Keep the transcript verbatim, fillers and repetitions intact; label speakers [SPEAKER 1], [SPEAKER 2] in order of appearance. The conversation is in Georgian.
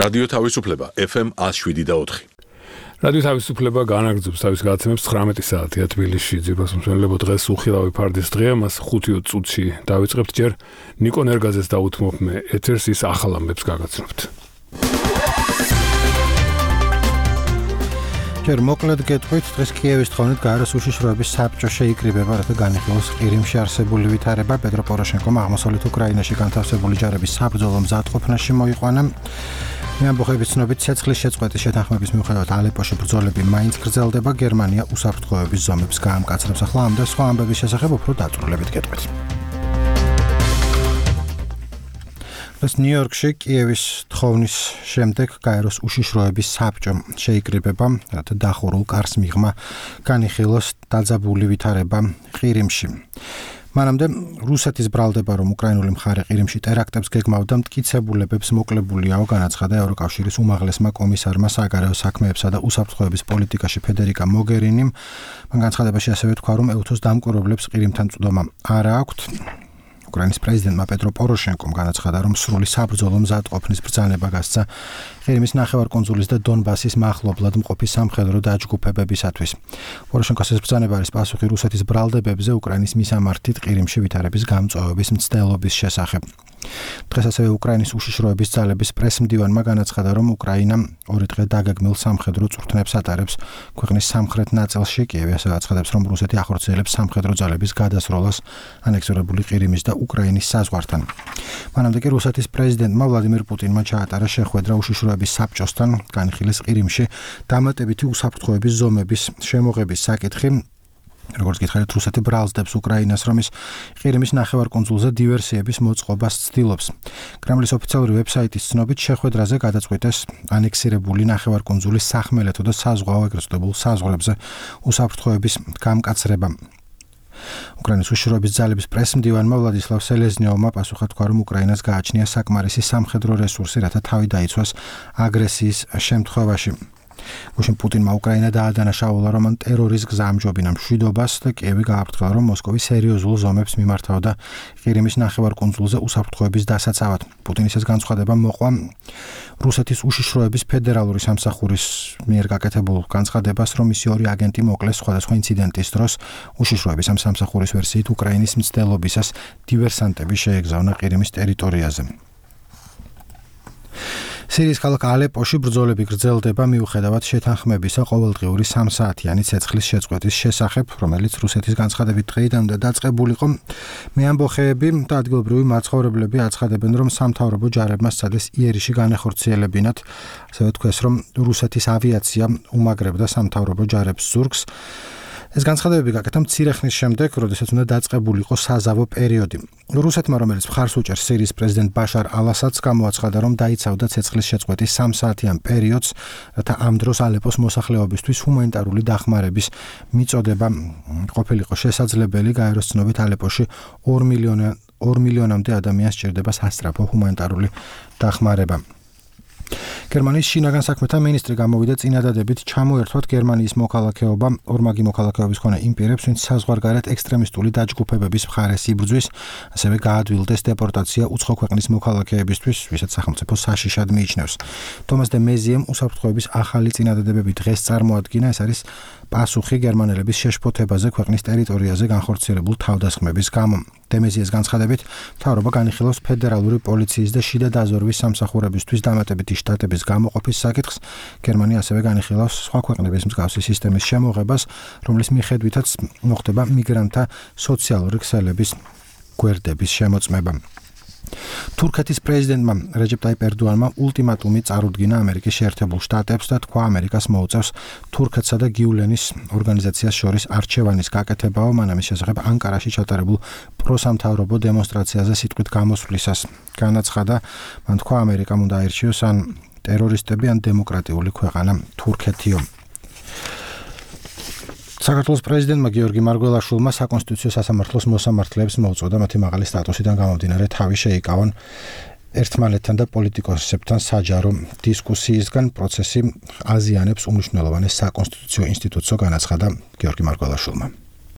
[SPEAKER 1] რადიო თავისუფლება ეფ ემ one oh seven point four.
[SPEAKER 2] რადიო თავისუფლება განაგრძობს თავის გადაცემებს ცხრამეტი საათია თბილისში. ძირფას მსმენელებო, დღეს უხილავი ფარდის დღეა, მას ხუთი წუთში დავიწყებთ. ჯერ ნიკო ნერგაძეს დაუთმობ მე ეთერს, ის ახალ ამბებს გაგაცნობთ.
[SPEAKER 3] ჯერ მოკლედ გეტყვით, დღეს კიევის თხოვნით გაეროს უშიშროების საბჭო შეიკრიბება, რათა განიხილოს ყირიმში არსებული ვითარება. პეტრო პოროშენკომ აღმოსავლეთ უკრაინაში განთავსებული ჯარების საბრძოლო მზადყოფნაში მოიყვანა. მეამბოხების ცნობით ცეცხლის შეწყვეტის შეთანხმების მიუხედავად ალეპოში ბრძოლები მაინც გრძელდება. გერმანია უსაფრთხოების ზომებს გაამკაცრებს. ახლა ამ და სხვა ამბების შესახებ უფრო დაწვრილებით გეტყვით. დღეს ნიუ-იორკში კიევის თხოვნის შემდეგ გაეროს უშიშროების საბჭო შეიკრიბება, რათა დახურულ კარს მიღმა განიხილოს დაძაბული ვითარება ყირიმში. მანამდე რუსეთის ბრალდება, რომ უკრაინული მხარე ყირიმში ტერაქტებს გეგმავდა, მტკიცებულებებს მოკლებულია, განაცხადა ევროკავშირის უმაღლესმა კომისარმა საგარეო საქმეებსა და უსაფრთხოების პოლიტიკაში ფედერიკა მოგერინიმ. მან განცხადებაში ასევე თქვა, რომ ეუთოს დამკვირვებლებს ყირიმთან წვდომა არ აქვთ. უკრაინის პრეზიდენტმა პეტრო პოროშენკომ განაცხადა, რომ სრული საბრძოლო მზადყოფნის ბრძანება გასცა ყირიმის ნახევარკუნძულის და დონბასის მახლობლად მყოფი სამხედრო დაჯგუფებებისათვის. პოროშენკოს ეს ბრძანება არის პასუხი რუსეთის ბრალდებებზე უკრაინის მისამართით ყირიმში ვითარების გამწვავების მცდელობის შესახებ. დღეს ასევე უკრაინის უშიშროების ძალების პრესმდივანმა განაცხადა, რომ უკრაინა ორი დღე დაგეგმილ სამხედრო წვრთნებს ატარებს ქვეყნის სამხრეთ ნაწილში. კიევი ასევე აცხადებს, რომ რუსეთი ახორციელებს სამხედრო ძალების გადასროლას ანექსირებული ყირიმის და უკრაინის საზღვართან. მანამდე კი რუსეთის პრეზიდენტმა ვლადიმირ პუტინმა ჩაატარა შეხვედრა უშიშროების საბჭოსთან, განიხილეს ყირიმში დამატებითი უსაფრთხოების ზომების შემოღების საკითხი. როგორც გითხარით, რუსეთი ბრალსდებს უკრაინას, რომ ის ყირიმის ნახევარკუნძულზე დივერსიების მოწყობას ცდილობს. კრემლის ოფიციალური ვებსაიტის ცნობით, შეხვედრაზე გადაწყვიტეს ანექსირებული ნახევარკუნძულის სახმელეთო და საზღვაო ეგრეთ წოდებულ საზღვრებზე უსაფრთხოების გამკაცრება. უკრაინის უშიშროების ძალების პრესმდივანმა ვლადისლავ სელეზნიოვმა პასუხა თქვა, რომ უკრაინას გააჩნია საკმარისი სამხედრო რესურსი, რათა თავი დაიცვას აგრესიის შემთხვევაში. გუშინ პუტინმა უკრაინა დაადანაშაულა, რომ მან ტერორის გზა ამჯობინა მშვიდობას და კიევი გააფრთხილა, რომ მოსკოვი სერიოზულ ზომებს მიმართავდა ყირიმის ნახევარკუნძულზე უსაფრთხოების დასაცავად. პუტინის ეს განცხადება მოყვა რუსეთის უშიშროების ფედერალური სამსახურის მიერ გაკეთებულ განცხადებას, რომ მისი ორი აგენტი მოკლეს სხვადასხვა ინციდენტის დროს. უშიშროების ამ სამსახურის ვერსიით უკრაინის მცდელობისას დივერსანტები შეეგზავნა ყირიმის ტერიტორიაზე. სირიის ქალაქ ალეპოში ბრძოლები გრძელდება მიუხედავად შეთანხმებისა ყოველდღიური სამ საათიანი ცეცხლის შეწყვეტის შესახებ, რომელიც რუსეთის განცხადებით დღეიდანვე დაწყებულიყო. მეამბოხეები და ადგილობრივი მაცხოვრებლები აცხადებენ, რომ სამთავრობო ჯარებმა სცადეს იერიში განეხორციელებინათ. ასევე თქვეს, რომ რუსეთის ავიაცია უმაგრებდა სამთავრობო ჯარებს ზურგს. ეს განცხადებები გაკეთა მცირე ხნის შემდეგ, როდესაც უნდა დაწყებულიყო საზავო პერიოდი. რუსეთმა, რომელიც მხარს უჭერს სირიის პრეზიდენტ ბაშარ ალ-ასადს, გამოაცხადა, რომ დაიცავდა ცეცხლის შეწყვეტის სამ საათიან პერიოდს, რათა ამ დროს ალეპოს მოსახლეობისთვის ჰუმანიტარული დახმარების მიწოდება ყოფილიყო შესაძლებელი. გაეროს ცნობით ალეპოში ორ მილიონამდე ადამიანს სჭირდება სასწრაფო ჰუმანიტარული დახმარება. გერმანიის შინაგან საქმეთა მინისტრი გამოვიდა წინადადებით ჩამოერთვათ გერმანიის მოქალაქეობა ორმაგი მოქალაქეობის მქონე იმ პირებს, ვინც საზღვარგარეთ ექსტრემისტული დაჯგუფებების მხარეს იბრძვის, ასევე გაადვილდეს დეპორტაცია უცხო ქვეყნის მოქალაქეებისთვის, ვისაც სახელმწიფო საშიშად მიიჩნევს. თომას დე მეზიემ უსაფრთხოების ახალი წინადადებები დღეს წარმოადგინა. ეს არის პასუხი გერმანელების შეშფოთებაზე ქვეყნის ტერიტორიაზე განხორციელებულ თავდასხმების გამო. დე მეზიეს განცხადებით, მთავრობა განიხილავს ფედერალური პოლიციის და შიდა დაზვერვის სამსახურებისთვის დამატებითი შტატების გამოყოფის საკითხს. გერმანია ასევე განიხილავს სხვა ქვეყნების მსგავსი სისტემის შემოღებას, რომლის მიხედვითაც მოხდება მიგრანტთა სოციალური ქსელების გვერდების შემოწმება. თურქეთის პრეზიდენტმა რეჯეპ ტაიპ ერდოანმა ულტიმატუმი წარუდგინა ამერიკის შეერთებულ შტატებს და თქვა, ამერიკას მოუწევს თურქეთსა და გიულენის ორგანიზაციას შორის არჩევანის გაკეთებაო, მან ამის შესახებ ანკარაში ჩატარებულ პროსამთავრობო დემონსტრაციაზე სიტყვით გამოსვლისას განაცხადა. მან თქვა, ამერიკამ უნდა აირჩიოს ან ტერორისტები, ან დემოკრატიული ქვეყანა თურქეთიო. საქართველოს პრეზიდენტმა გიორგი მარგველაშვილმა საკონსტიტუციო სასამართლოს მოსამართლეებს მოუწოდა მათი მაღალი სტატუსიდან გამომდინარე თავი შეიკავონ ერთმანეთთან და პოლიტიკოსებთან საჯარო დისკუსიისგან. პროცესი აზიანებს უმნიშვნელოვანეს საკონსტიტუციო ინსტიტუტსო, განაცხადა გიორგი მარგველაშვილმა.